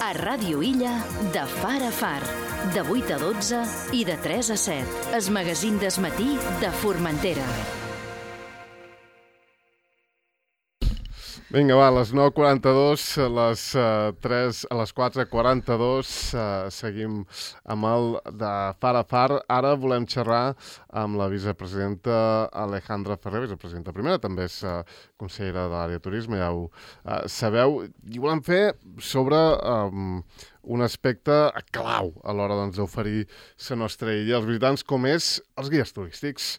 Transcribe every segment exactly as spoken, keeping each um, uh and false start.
A Ràdio Illa, de far a far, de vuit a dotze i de tres a set. El magazín del matí de Formentera. Vinga, va, a les nou quaranta-dos, a les, uh, tres, a les quatre quaranta-dos, uh, seguim amb el de far a far. Ara volem xerrar amb la vicepresidenta Alejandra Ferrer, vicepresidenta primera, també és uh, consellera de l'àrea de turisme, ja ho uh, sabeu. I volem fer sobre um, un aspecte clau a l'hora doncs, d'oferir la nostra illa als visitants, com és els guies turístics.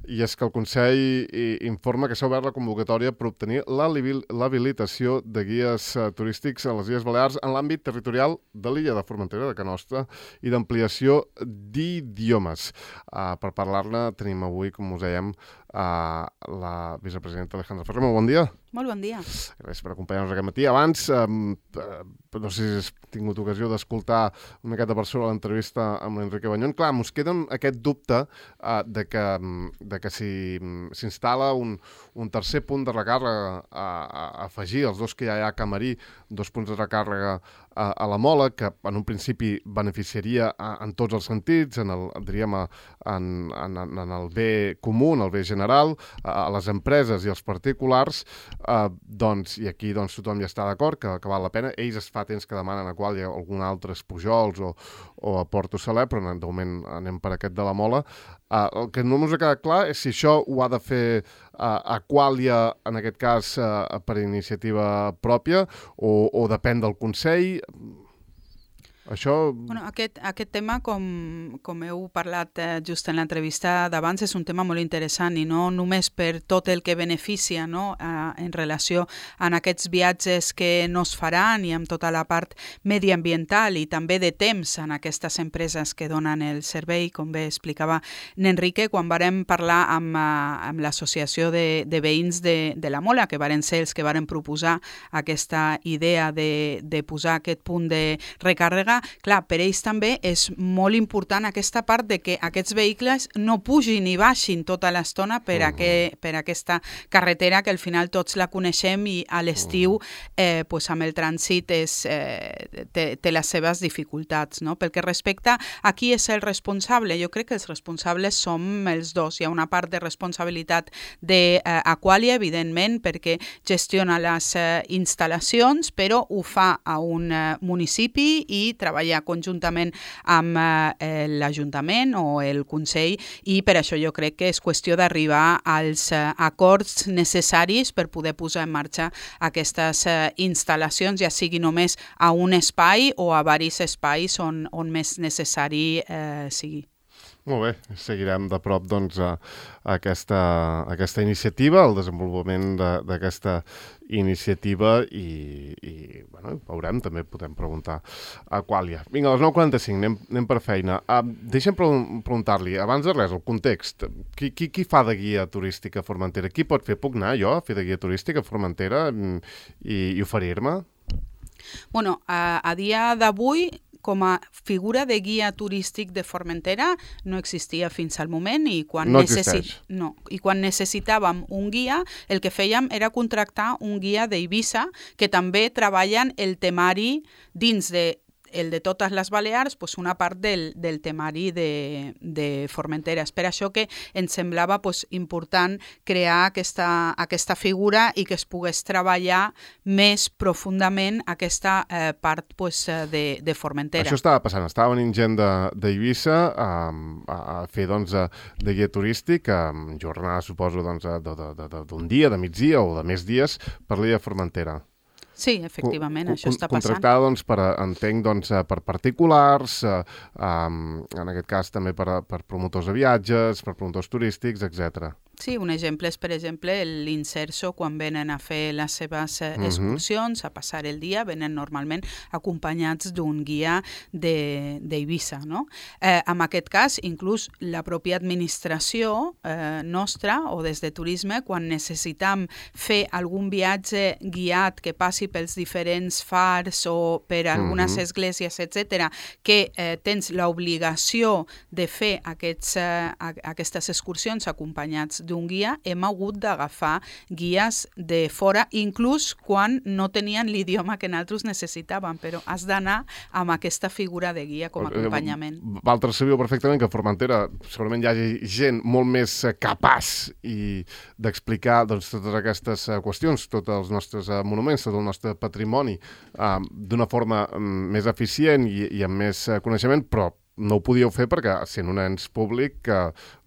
I és que el Consell informa que s'ha obert la convocatòria per obtenir l'habilitació de guies uh, turístics a les Illes Balears en l'àmbit territorial de l'illa de Formentera, de Can Nostra, i d'ampliació d'idiomes. Uh, per parlar-ne tenim avui, com us dèiem, uh, la vicepresidenta Alejandra Ferrer. Molt bon dia. Molt bon dia. Gràcies per acompanyar-nos aquest matí. Abans, um, uh, no sé si has tingut ocasió d'escoltar una miqueta per sobre l'entrevista amb l'Enrique Bañón. Clar, mos queda aquest dubte uh, de que, de que si s'instal·la un, un tercer punt de recàrrega a, a afegir els dos que ja hi ha a Camarí, dos punts de recàrrega a, a la Mola, que en un principi beneficiaria a, en tots els sentits, en el, diríem, a, en, en, en el bé comú, en el bé general, a, a les empreses i als particulars, uh, doncs, i aquí doncs, tothom ja està d'acord que, que val la pena. Ells es fa temps que demanen a qual hi ha algun altre Pujols o, o a Porto Saler, però de moment anem per aquest de la Mola. Uh, el que no ens ha quedat clar és si això ho ha de fer uh, Aqualia, en aquest cas, uh, per iniciativa pròpia, o, o depèn del Consell. Això... Bueno, aquest, aquest tema, com, com heu parlat eh, just en l'entrevista d'abans, és un tema molt interessant i no només per tot el que beneficia, no? eh, en relació amb aquests viatges que no es faran i amb tota la part mediambiental i també de temps en aquestes empreses que donen el servei, com bé explicava n'Enrique, quan vàrem parlar amb, amb l'associació de, de veïns de, de la Mola, que varen ser els que varen proposar aquesta idea de, de posar aquest punt de recàrrega. Clar, per ells també és molt important aquesta part de que aquests vehicles no pugin i baixin tota l'estona per, uh-huh. aqu per aquesta carretera que al final tots la coneixem i a l'estiu eh, pues amb el trànsit és, eh, té, té les seves dificultats. No? Pel que respecta a qui és el responsable, jo crec que els responsables som els dos. Hi ha una part de responsabilitat d'Aqualia, eh, evidentment, perquè gestiona les eh, instal·lacions, però ho fa a un eh, municipi i treballar conjuntament amb eh, l'Ajuntament o el Consell, i per això jo crec que és qüestió d'arribar als eh, acords necessaris per poder posar en marxa aquestes eh, instal·lacions, ja sigui només a un espai o a diversos espais on, on més necessari eh, sigui. Molt bé, seguirem de prop doncs, a, a aquesta, a aquesta iniciativa, el desenvolupament d'aquesta iniciativa i, i bueno, veurem, també podem preguntar a Aqualia. Vinga, a les nou quaranta-cinc, anem, anem per feina. Uh, deixa'm preguntar-li, abans de res, el context. Qui, qui, qui fa de guia turística a Formentera? Qui pot fer? Puc anar jo a fer de guia turística a Formentera i, i oferir-me? Bueno, a, a dia d'avui, com a figura de guia turístic de Formentera no existia fins al moment i quan, no necessi... no. I quan necessitàvem un guia, el que fèiem era contractar un guia d'Eivissa que també treballen el temari dins de el de totes les Balears, pues una part del, del temari de, de Formentera. És per això que ens semblava pues, important crear aquesta, aquesta figura i que es pogués treballar més profundament aquesta eh, part pues, de, de Formentera. Això estava passant, estava venint gent d'Eivissa a, a fer doncs, de guia turístic, a jornada, suposo, doncs, d'un dia, de migdia o de més dies per l'illa de Formentera. Sí, efectivament, co això està passant. Contractada, doncs, per, entenc, doncs, per particulars, eh, um, en aquest cas també per, per promotors de viatges, per promotors turístics, etcètera. Sí, un exemple és, per exemple, l'Inserso, quan venen a fer les seves excursions, uh-huh. a passar el dia, venen normalment acompanyats d'un guia d'Eivissa, no? Eh, en aquest cas, inclús la pròpia administració eh, nostra o des de turisme, quan necessitam fer algun viatge guiat que passi pels diferents fars o per algunes uh-huh. esglésies, etcètera, que eh, tens l'obligació de fer aquests, eh, aquestes excursions acompanyats d'un guia, hem hagut d'agafar guies de fora, inclús quan no tenien l'idioma que nosaltres necessitàvem, però has d'anar amb aquesta figura de guia com a acompanyament. Vosaltres sabíeu perfectament que a Formentera segurament hi hagi gent molt més capaç i d'explicar doncs, totes aquestes qüestions, tots els nostres monuments, tot el nostre patrimoni, eh, d'una forma més eficient i, i amb més coneixement, però no ho podíeu fer perquè, sent un ens públic, que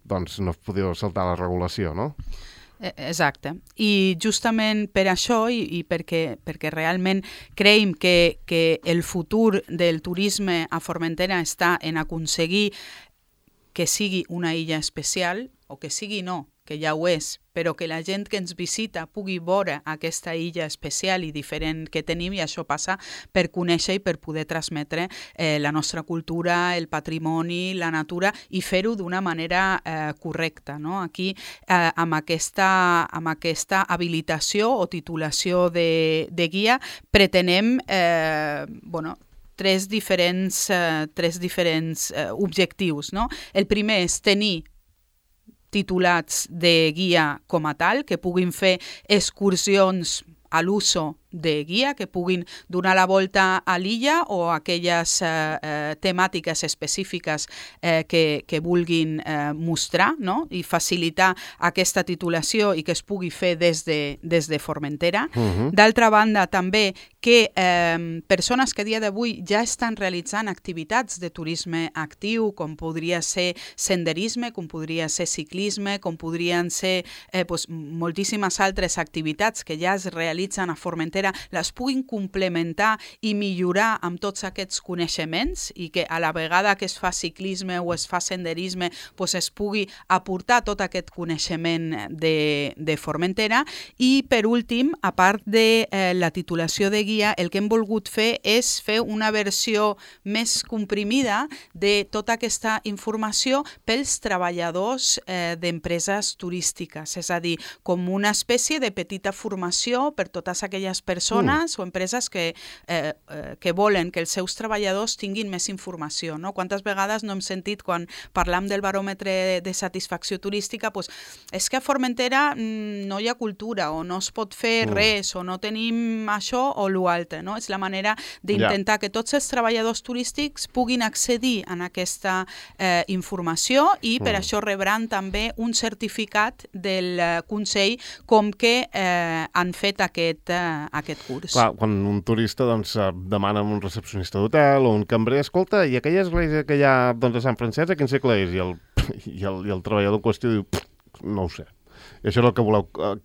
doncs, no podíeu saltar la regulació, no? Exacte. I justament per això i, i perquè, perquè realment creiem que, que el futur del turisme a Formentera està en aconseguir que sigui una illa especial, o que sigui no, que ja ho és, però que la gent que ens visita pugui veure aquesta illa especial i diferent que tenim, i això passa per conèixer i per poder transmetre eh, la nostra cultura, el patrimoni, la natura, i fer-ho d'una manera eh, correcta. No? Aquí, eh, amb, aquesta, amb aquesta habilitació o titulació de, de guia, pretenem eh, bueno, tres diferents, eh, tres diferents eh, objectius. No? El primer és tenir titulats de guia com a tal, que puguin fer excursions a l'uso de guia, que puguin donar la volta a l'illa o aquelles eh, eh, temàtiques específiques eh, que, que vulguin eh, mostrar, no? I facilitar aquesta titulació i que es pugui fer des de, des de Formentera. Uh-huh. D'altra banda, també que eh, persones que a dia d'avui ja estan realitzant activitats de turisme actiu, com podria ser senderisme, com podria ser ciclisme, com podrien ser eh, pues, moltíssimes altres activitats que ja es realitzen a Formentera, les puguin complementar i millorar amb tots aquests coneixements i que a la vegada que es fa ciclisme o es fa senderisme pues es pugui aportar tot aquest coneixement de, de Formentera. I per últim, a part de eh, la titulació de guia, el que hem volgut fer és fer una versió més comprimida de tota aquesta informació pels treballadors eh, d'empreses turístiques, és a dir, com una espècie de petita formació per totes aquelles persones mm. o empreses que, eh, eh, que volen que els seus treballadors tinguin més informació. No? Quantes vegades no hem sentit quan parlam del baròmetre de satisfacció turística, pues, és que a Formentera mm, no hi ha cultura o no es pot fer mm. res o no tenim això o l'altre. No? És la manera d'intentar yeah. que tots els treballadors turístics puguin accedir a aquesta eh, informació i per mm. això rebran també un certificat del eh, Consell com que eh, han fet aquest, eh, aquest curs. Clar, quan un turista doncs, demana un recepcionista d'hotel o un cambrer, escolta, i aquella església que hi ha doncs, a Sant Francesc, a quin segle és? I el, i el, i el treballador en qüestió diu, no ho sé. I això és el que voleu, eh,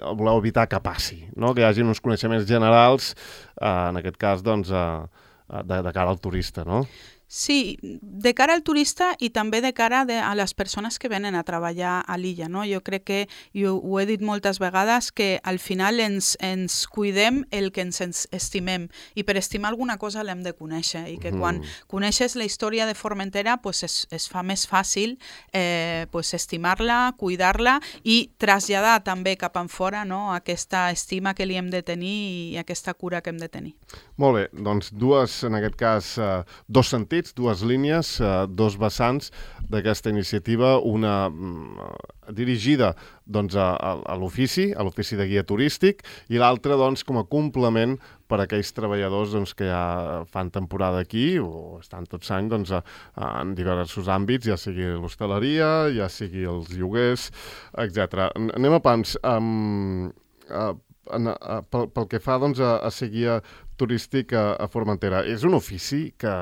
voleu evitar que passi, no? Que hi hagi uns coneixements generals, eh, en aquest cas, doncs, eh, de, de cara al turista, no? Sí, de cara al turista i també de cara de, a les persones que venen a treballar a l'illa. No? Jo crec que, jo ho he dit moltes vegades, que al final ens, ens cuidem el que ens estimem i per estimar alguna cosa l'hem de conèixer i que quan mm. coneixes la història de Formentera pues es, es fa més fàcil eh, pues estimar-la, cuidar-la i traslladar també cap enfora, no? Aquesta estima que li hem de tenir i aquesta cura que hem de tenir. Molt bé, doncs dues, en aquest cas, eh, dos sentits, dues línies, eh, dos vessants d'aquesta iniciativa, una mm, dirigida doncs, a, a, a l'ofici, a l'ofici de guia turístic, i l'altra doncs, com a complement per a aquells treballadors doncs, que ja fan temporada aquí o estan tots anys doncs, a, a, en diversos àmbits, ja sigui l'hostaleria, ja sigui els lloguers, etcètera. Anem a pams. Um, uh, en, uh, pel, pel que fa doncs, a, a ser guia turístic a, a Formentera, és un ofici que,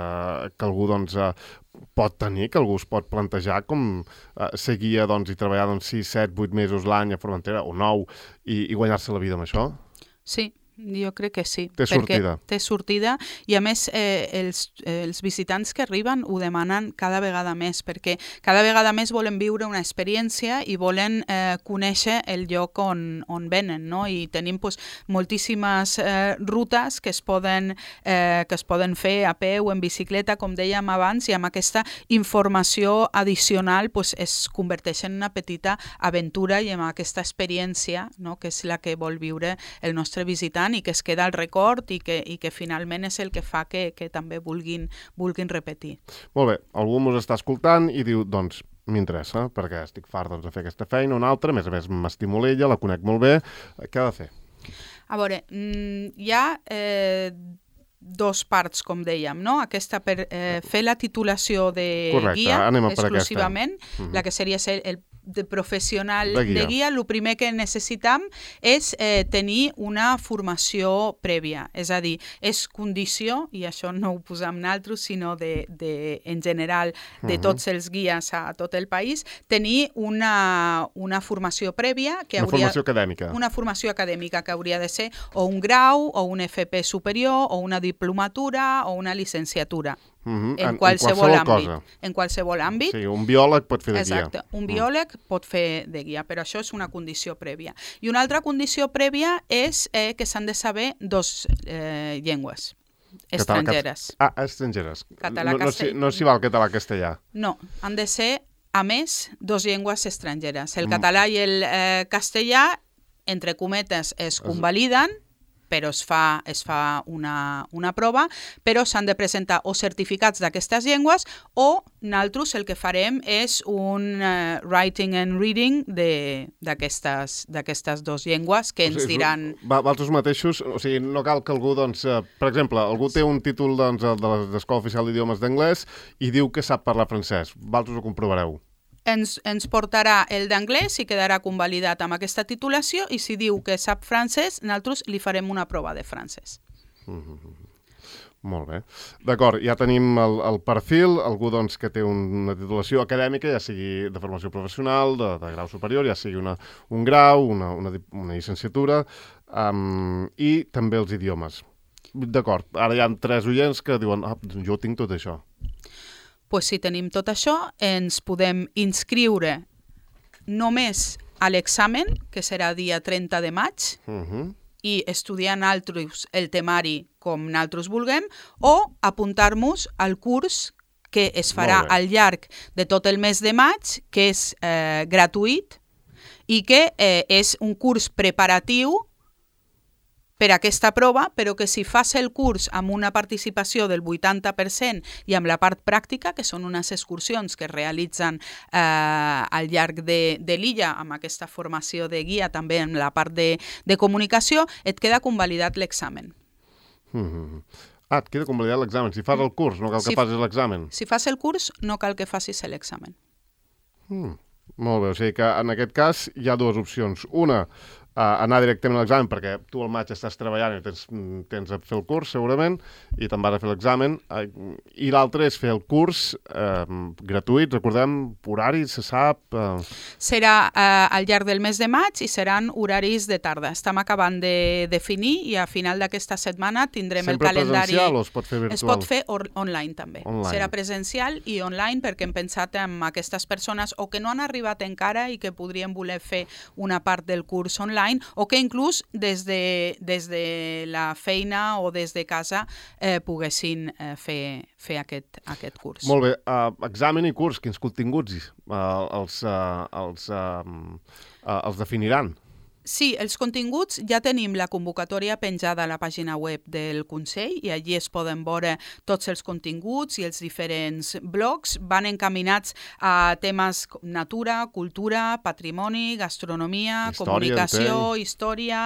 que algú doncs, pot tenir, que algú es pot plantejar com eh, ser guia doncs, i treballar doncs, sis, set, vuit mesos l'any a Formentera o nou i, i guanyar-se la vida amb això? Sí. Jo crec que sí. Té sortida. Té sortida i a més eh, els, eh, els visitants que arriben ho demanen cada vegada més perquè cada vegada més volen viure una experiència i volen eh, conèixer el lloc on, on venen, no? I tenim pues, moltíssimes eh, rutes que es, poden, eh, que es poden fer a peu o en bicicleta, com dèiem abans, i amb aquesta informació addicional pues, es converteix en una petita aventura i amb aquesta experiència, no? Que és la que vol viure el nostre visitant i que es queda al record i que, i que finalment és el que fa que, que també vulguin, vulguin repetir. Molt bé, algú ens està escoltant i diu, doncs, M'interessa, perquè estic fart doncs, de fer aquesta feina, una altra, a més a més m'estimo ella, la conec molt bé. Què ha de fer? A veure, hi ha eh, dos parts, com dèiem, no? Aquesta per eh, fer la titulació de Correcte, guia anem a per exclusivament, aquesta. Uh-huh. la que seria ser el de professional de guia. de guia, el primer que necessitam és eh, tenir una formació prèvia. És a dir, és condició, i això no ho posam nosaltres, sinó de, de, en general de tots els guies a tot el país, tenir una, una formació prèvia que una hauria... formació acadèmica. Una formació acadèmica que hauria de ser o un grau, o un F P superior, o una diplomatura, o una llicenciatura. Uh-huh. En, en qualsevol en àmbit. Cosa. En qualsevol àmbit. Sí, un biòleg pot fer de guia. Exacte, un biòleg mm. pot fer de guia, però això és una condició prèvia. I una altra condició prèvia és eh, que s'han de saber dos eh, llengües estrangeres. Català, ah, estrangeres. Català, no, no, castell... no s'hi val català-castellà. No, han de ser, a més, dos llengües estrangeres. El mm. català i el eh, castellà, entre cometes, es convaliden, però es fa, es fa una, una prova, però s'han de presentar o certificats d'aquestes llengües o nosaltres el que farem és un uh, writing and reading d'aquestes dues llengües que ens o sigui, diran... Vosaltres mateixos, o sigui, no cal que algú, doncs, eh, per exemple, algú té un títol doncs, de l'Escola Oficial d'Idiomes d'Anglès i diu que sap parlar francès. Vosaltres ho comprovareu. Ens, ens portarà el d'anglès i quedarà convalidat amb aquesta titulació i si diu que sap francès, nosaltres li farem una prova de francès. Mm-hmm. Molt bé. D'acord, ja tenim el, el perfil, algú doncs, que té una titulació acadèmica, ja sigui de formació professional, de, de grau superior, ja sigui una, un grau, una, una, una llicenciatura, um, i també els idiomes. D'acord, ara hi ha tres oients que diuen, ah, jo tinc tot això. Pues si tenim tot això, ens podem inscriure només a l'examen, que serà dia trenta de maig, uh-huh. i estudiar nosaltres el temari com nosaltres vulguem, o apuntar-nos al curs que es farà al llarg de tot el mes de maig, que és eh, gratuït, i que eh, és un curs preparatiu per a aquesta prova, però que si fas el curs amb una participació del vuitanta per cent i amb la part pràctica, que són unes excursions que es realitzen eh, al llarg de, de l'illa, amb aquesta formació de guia, també en la part de, de comunicació, et queda convalidat l'examen. Mm-hmm. Ah, et queda convalidat l'examen. Si fas el curs, no cal que si, facis l'examen. Si fas el curs, no cal que facis l'examen. Mm, molt bé, o sigui que en aquest cas hi ha dues opcions. Una, Uh, anar directament a l'examen, perquè tu al maig estàs treballant i tens, tens a fer el curs, segurament, i te'n vas a fer l'examen. Uh, I l'altre és fer el curs uh, gratuït, recordem, horari, se sap... Uh... Serà uh, al llarg del mes de maig i seran horaris de tarda. Estem acabant de definir i a final d'aquesta setmana tindrem Sempre el calendari... Sempre presencial o es pot fer virtual? Es pot fer online també. Online. Serà presencial i online perquè hem pensat en aquestes persones o que no han arribat encara i que podrien voler fer una part del curs online o que inclús des de, des de la feina o des de casa eh, poguessin eh, fer, fer aquest, aquest curs. Molt bé. Uh, examen i curs, quins continguts uh, els, uh, els, uh, uh, els definiran? Sí, els continguts ja tenim la convocatòria penjada a la pàgina web del Consell i allí es poden veure tots els continguts i els diferents blocs. Van encaminats a temes com natura, cultura, patrimoni, gastronomia, història, comunicació, entenc. història...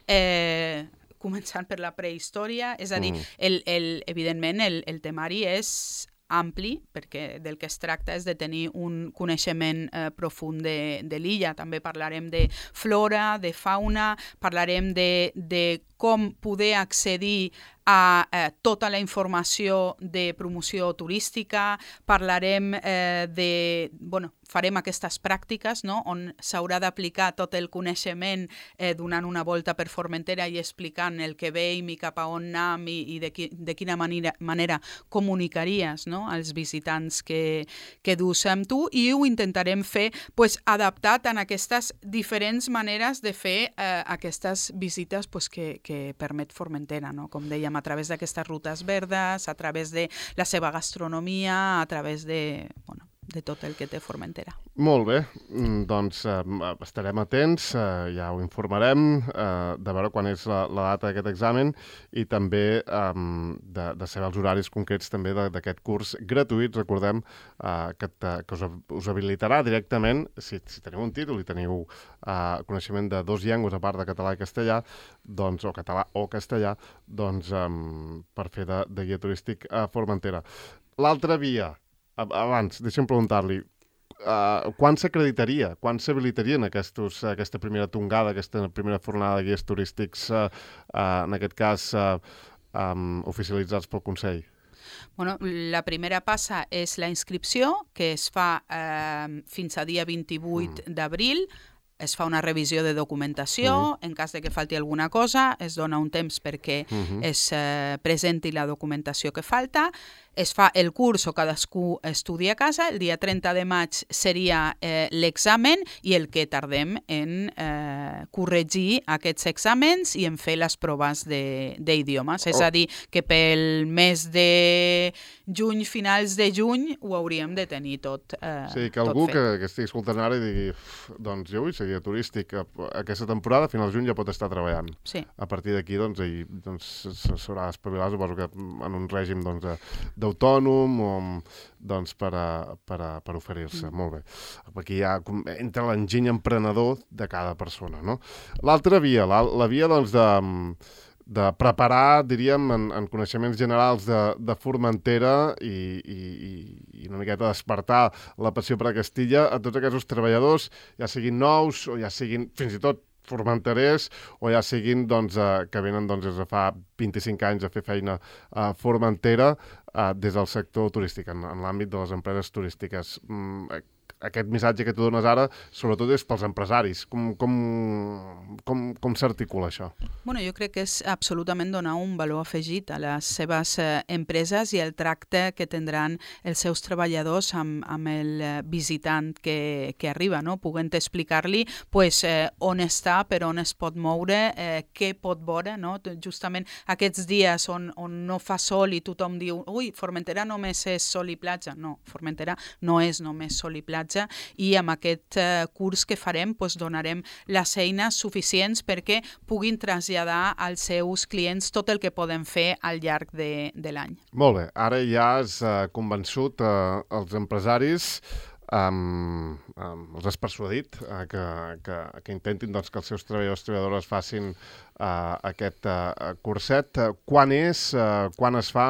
Eh, començant per la prehistòria, és a dir, mm. el, el, evidentment el, el temari és ampli, perquè del que es tracta és de tenir un coneixement eh, profund de, de l'illa. També parlarem de flora, de fauna, parlarem de, de com poder accedir a eh, tota la informació de promoció turística, parlarem eh, de... Bueno, farem aquestes pràctiques, no?, on s'haurà d'aplicar tot el coneixement eh, donant una volta per Formentera i explicant el que veiem i cap a on anem i, i de, qui, de quina manera, manera comunicaries, no?, als visitants que, que dus amb tu, i ho intentarem fer pues, adaptat en aquestes diferents maneres de fer eh, aquestes visites pues, que, que permet Formentera, no?, com dèiem, a través d'aquestes rutes verdes, a través de la seva gastronomia, a través de... Bueno, de tot el que té Formentera. Molt bé, doncs eh, estarem atents, eh, ja ho informarem eh, de veure quan és la, la data d'aquest examen i també eh, de, de saber els horaris concrets també d'aquest curs gratuït. Recordem eh, que, te, que us, us habilitarà directament, si, si teniu un títol i teniu eh, coneixement de dos llengües a part de català i castellà, doncs, o català o castellà, doncs eh, per fer de, de guia turístic a Formentera. L'altra via, abans, deixa'm preguntar-li, uh, quan s'acreditaria, quan s'habilitarien aquestos, aquesta primera tongada, aquesta primera fornada de guies turístics, uh, uh, en aquest cas, uh, um, oficialitzats pel Consell? Bueno, la primera passa és la inscripció, que es fa eh, fins a dia vint-i-vuit mm. d'abril. Es fa una revisió de documentació, uh-huh. en cas de que falti alguna cosa, es dona un temps perquè uh-huh. es eh, presenti la documentació que falta, es fa el curs o cadascú estudia a casa, el dia trenta de maig seria eh, l'examen i el que tardem en eh, corregir aquests exàmens i en fer les proves d'idiomes. Oh. És a dir, que pel mes de juny, finals de juny, ho hauríem de tenir tot eh, Sí, que algú que, que estigui escoltant ara i digui doncs jo vull ser guia turístic, aquesta temporada, a finals de juny ja pot estar treballant. Sí. A partir d'aquí doncs, ell doncs, s'haurà d'espavilar, suposo que en un règim doncs, d'autònom o doncs, per, a, per, a, per oferir-se. Mm. Molt bé. Aquí ja entra l'enginy emprenedor de cada persona, no? L'altra via, la, la via doncs, de, de preparar, diríem, en, en coneixements generals de, de Formentera i, i, i una miqueta despertar la passió per a Castilla a tots aquests treballadors, ja siguin nous o ja siguin fins i tot formenterers o ja siguin doncs, eh, que venen doncs, des de fa vint-i-cinc anys a fer feina a Formentera eh, des del sector turístic, en, en l'àmbit de les empreses turístiques. Mm, aquest missatge que tu dones ara, sobretot és pels empresaris. Com, com, com, com s'articula això? Bueno, jo crec que és absolutament donar un valor afegit a les seves eh, empreses i el tracte que tindran els seus treballadors amb, amb el visitant que, que arriba, no? Puguent explicar-li pues, eh, on està, per on es pot moure, eh, què pot veure, no? Justament aquests dies on, on no fa sol i tothom diu ui, Formentera només és sol i platja. No, Formentera no és només sol i platja, i amb aquest eh, curs que farem pues, donarem les eines suficients perquè puguin traslladar als seus clients tot el que poden fer al llarg de, de l'any. Molt bé, ara ja has eh, convençut eh, els empresaris, um, um, els has persuadit eh, que, que, que intentin doncs, que els seus treballadors i treballadores facin eh, aquest eh, curset. Quan és, eh, quan es fa?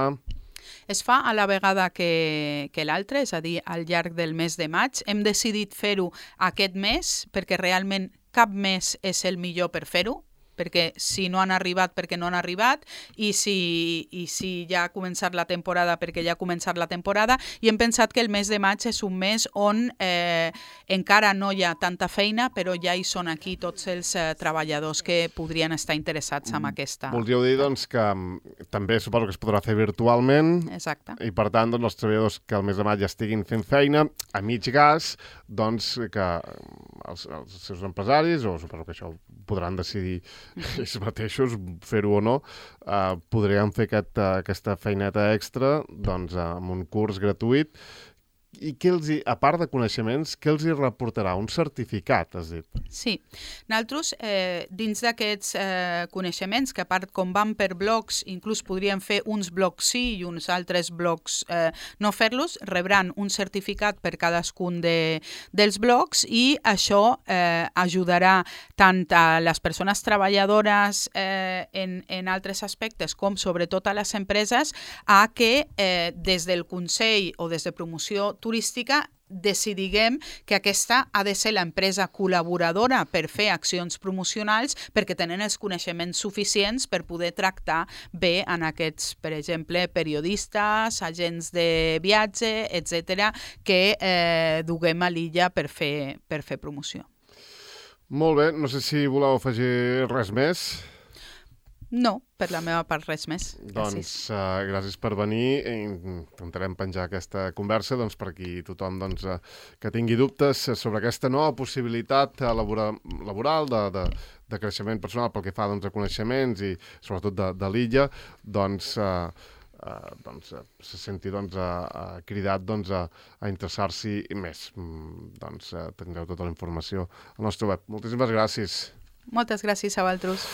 Es fa a la vegada que, que l'altre, és a dir, al llarg del mes de maig. Hem decidit fer-ho aquest mes perquè realment cap mes és el millor per fer-ho, perquè si no han arribat, perquè no han arribat, i si, i si ja ha començat la temporada, perquè ja ha començat la temporada, i hem pensat que el mes de maig és un mes on eh, encara no hi ha tanta feina, però ja hi són aquí tots els eh, treballadors que podrien estar interessats en aquesta... Voldríeu dir, doncs, que també suposo que es podrà fer virtualment. Exacte. I, per tant, doncs, els treballadors que al mes de maig ja estiguin fent feina, a mig gas, doncs, que els, els seus empresaris, o suposo que això podran decidir ells mateixos, fer-ho o no, eh, podrien fer aquest, aquesta feineta extra doncs, amb un curs gratuït. I què els hi, a part de coneixements, què els hi reportarà? Un certificat, has dit? Sí. Nosaltres, eh, dins d'aquests eh, coneixements, que a part com van per blocs, inclús podríem fer uns blocs sí i uns altres blocs eh, no fer-los, rebran un certificat per cadascun de, dels blocs i això eh, ajudarà tant a les persones treballadores eh, en, en altres aspectes com sobretot a les empreses a que eh, des del Consell o des de promoció turística decidiguem que aquesta ha de ser l'empresa col·laboradora per fer accions promocionals perquè tenen els coneixements suficients per poder tractar bé en aquests, per exemple, periodistes, agents de viatge, etcètera, que eh, duguem a l'illa per fer, per fer promoció. Molt bé, no sé si voleu afegir res més. No, per la meva part res més. Doncs uh, gràcies per venir. Intentarem penjar aquesta conversa doncs, per qui tothom doncs, uh, que tingui dubtes sobre aquesta nova possibilitat uh, laboral, laboral de, de, de creixement personal pel que fa doncs, a coneixements i sobretot de, de l'illa, doncs uh, eh, doncs, se senti doncs, a, a cridat doncs, a, a interessar-s'hi més. Mm, doncs eh, tindreu tota la informació al nostre web. Moltíssimes gràcies. Moltes gràcies a vosaltres.